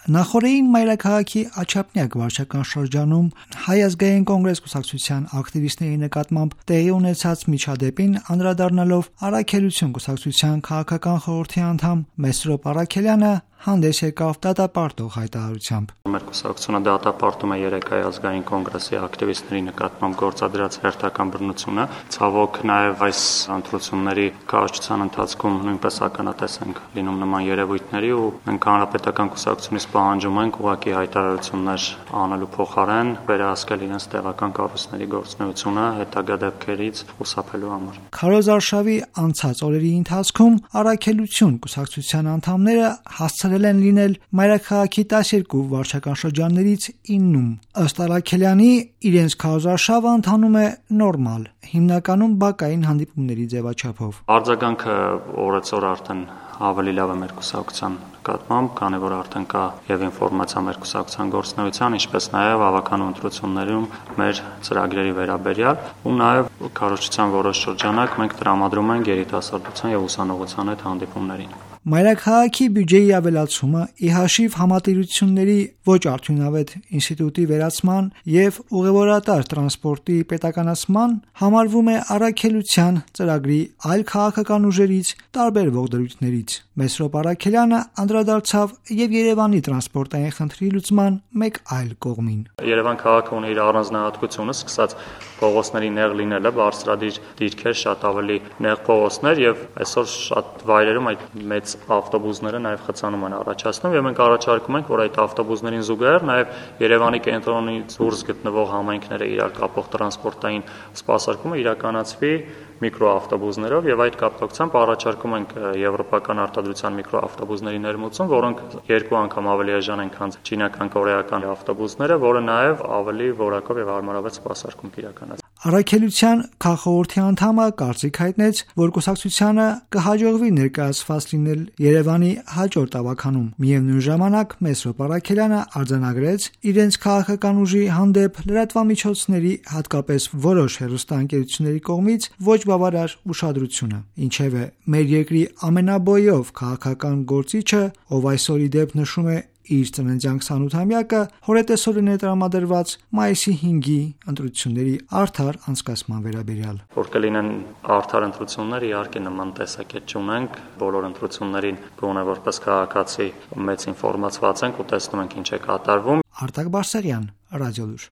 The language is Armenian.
Նախորդին մայրաքաղաքի Աչափնյակ վարչական շրջանում Հայ ազգային կոնգրես կուսակցության ակտիվիստների նկատմամբ տեղի ունեցած միջադեպին անդրադառնալով Առաքելություն կուսակցության քաղաքական խորհրդի անդամ Մեսրոպ Առաքելյանը հանդես եկավ դատապարտող հայտարարությամբ. Մեր կուսակցությունը դատապարտում է 3 Հայ ազգային կոնգրեսի ակտիվիստների նկատմամբ գործադրած հերթական բռնությունը։ Ցավոք նաև այս ընտրությունների կառավարության ընթացքում նույնպես ականատես ենք լինում նման երևույթների ու մենք հանրապետական կուսակցությունից պահանջում ենք ուղղակի հայտարարություններ անելու փոխարեն վերահսկել իրենց տեղական կառույցների գործունեությունը հետագա դեպքերից խուսափելու համար։ Քարոզարշավի անցած օրերի ընթացքում Առաքելություն կուսակցության անդամները հասցրել են լինել մայրաքաղաքի 12 վարչական շրջաններից 9-ում։ Ըստ Առաքելյանի, իրենց քարոզարշավը ընթանում է նորմալ, հիմնականում բակային հանդիպումների ձևաչափով։ Արձագանքը օրեցօր արդեն ավելի լավ է մեր կուսակցության նկատմամբ, քանի որ արդեն կա եւ ինֆորմացիա մեր կուսակցության գործունեության, ինչպես նաեւ հավաքանու ընտրություններում մեր ծրագրերի վերաբերյալ ու նաեւ քարոզչության որոշ շրջանակ մենք տրամադրում ենք երիտասարդության եւ ուսանողության հետ հանդիպումներին։ Մայրաքաղաքի բյուջեի ավելացումը ի հաշիվ համատիրությունների ոչ արդյունավետ ինստիտուտի վերացման եւ ուղևորատար տրանսպորտի պետականացման համարվում է Առաքելության ծրագրի այլ քաղաքական ուժերից տարբերվող դրույթներից։ Մեսրոպ Առաքելյանը անդրադարձավ եւ Երևանի տրանսպորտային խնդրի լուծման մեկ այլ կողմին։ Երևան քաղաքը ունի իր առանձնահատկությունը, սկսած փողոցների նեղ լինելը, բարձրադիր դիրքեր, շատ ավելի նեղ փողոցներ եւ այսօր շատ վայրերում այդ մեծ ավտոբուսները նաև խցանում են առաջացնում եւ մենք առաջարկում ենք, որ այդ ավտոբուսներին զուգահեռ նաև Երևանի կենտրոնից դուրս գտնվող համայնքները իրար կապող տրանսպորտային սպասարկումը իրականացվի միկրոավտոբուսներով եւ այդ կապակցությամբ առաջարկում ենք եվրոպական արտադրության միկրոավտոբուսների ներմուծում, որոնք 2 անգամ ավելի էժան են, քան չինական, կորեական ավտոբուսները, որը նաև ավելի որակով եւ հարմարավետ սպասարկում կիրականացնի։ Առաքելության քաղխորհրդի անդամը կարծիք հայտնեց, որ կուսակցությանը կհաջողվի ներկայացված լինել Երևանի հաջորդ ավականում։ Միևնույն ժամանակ Մեսրոպ Առաքելյանը արձանագրեց իրենց քաղաքական ուժի հանդեպ լրատվամիջոցների, հատկապես որոշ հեռուստաընկերությունների կողմից ոչ բավարար ուշադրությունը։ Ինչևէ, մեր երկրի ամենաբոյով քաղաքական գործիչը, ով այսօր ի դեպ նշում է իր ծննդյան 28-ամյակը, հորետեսօրը տրամադրված մայիսի 5-ի ընտրությունների արդար անցկացման վերաբերյալ։ Որ կլինեն արդար ընտրություններ, իհարկե նման տեսակետ չունենք, բոլոր ընտրություններին գոնե որպես քաղաքացի մեծ ինֆորմացված ենք ու տեսնում ենք ինչ է կատարվում։ Արտակ Բարսեղյան, Ռադիոլուր։